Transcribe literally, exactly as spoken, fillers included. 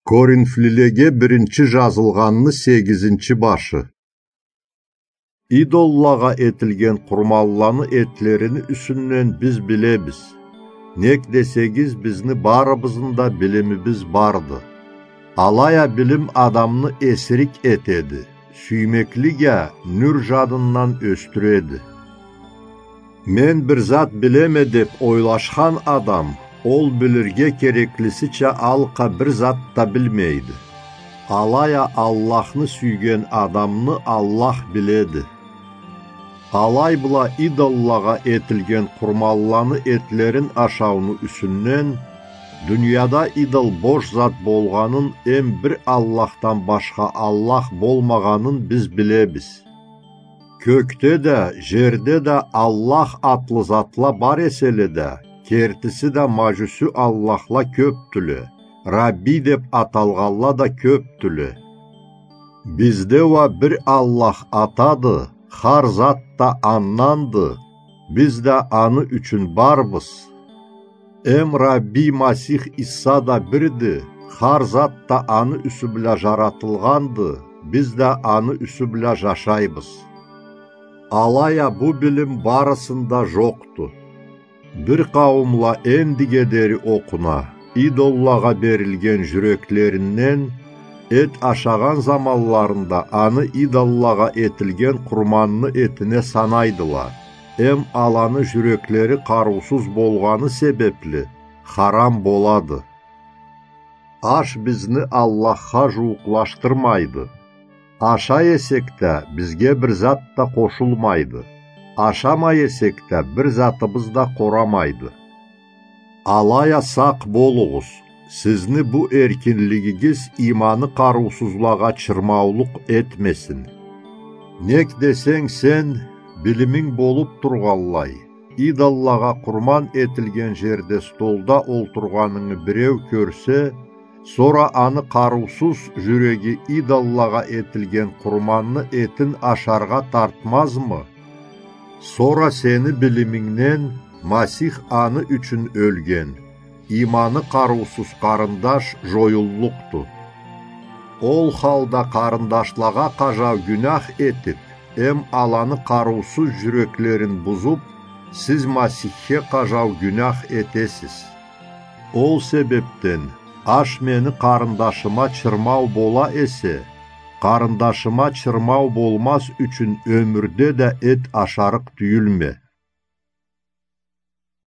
Коринфлилеге биринчи жазылгъанны сегизинчи башы. Идоллагъа этилген къурманланы этлерини юсюнден биз билебиз. Нек десегиз, бизни барыбызны да билимибиз барды. Алай а билим адамны эсирик этеди, сюймеклик а нюр жадындан ёсдюреди. Мен бир зат билеме деп ойлашхан адам, ол билирге кереклисича алкъа бир зат да билмейди. Алай а Аллахны сюйген адамны Аллах биледи. Алай бла идоллагъа этилген къурманланы этлерин ашауну юсюнден, дунияда идол бош зат болгъанын эм бир Аллахдан башха Аллах болмагъанын биз билебиз. Кёкде да, жерде да Аллах атлы затла бар эселе да, кертиси да мажюсю аллахла кёпдюле, Рабби деп аталгъанла да кёпдюле. Бизде уа бир Аллах Атады, хар зат да Анданды, биз да Аны ючюн барбыз. Эм Рабби Масих Иса да бирди, хар зат да Аны юсю бла жаратылгъанды, биз да Аны юсю бла жашайбыз. Алай а бу билим барысында жокъду. Бир къауумла эндиге дери окъуна, идоллагъа берилген жюреклеринден эт ашагъан заманларында аны идоллагъа этилген къурманны этине санайдыла, эм аланы жюреклери къарыусуз болгъаны себепли, харам болады. Аш бизни Аллахха жууукълашдырмайды. Ашай эсек да, бизге бир зат да къошулмайды. Ашамай эсек да, бир затыбыз да къорамайды. Алай а сакъ болугъуз, сизни бу эркинлигигиз иманы къарыусузлагъа чырмаулукъ этмесин. Нек десенг, сен, билиминг болуп тургъанлай, идоллагъа къурман этилген жерде столда олтургъанынгы биреу кёрсе, сора аны къарыусуз жюреги идоллагъа этилген къурманны этин ашаргъа тартмазмы? Сора сени билимингден Масих аны ючюн ёлген, иманы къарыусуз къарындаш жоюллукъду. Ол халда къарындашлагъа къажау гюнях этип, эм аланы къарыусуз жюреклерин бузуп, сиз Масихге къажау гюнях этесиз. Ол себепден аш мени къарындашыма чырмау бола эсе, къарындашыма чырмау болмаз ючюн ёмюрде да эт ашарыкъ тюйюлме.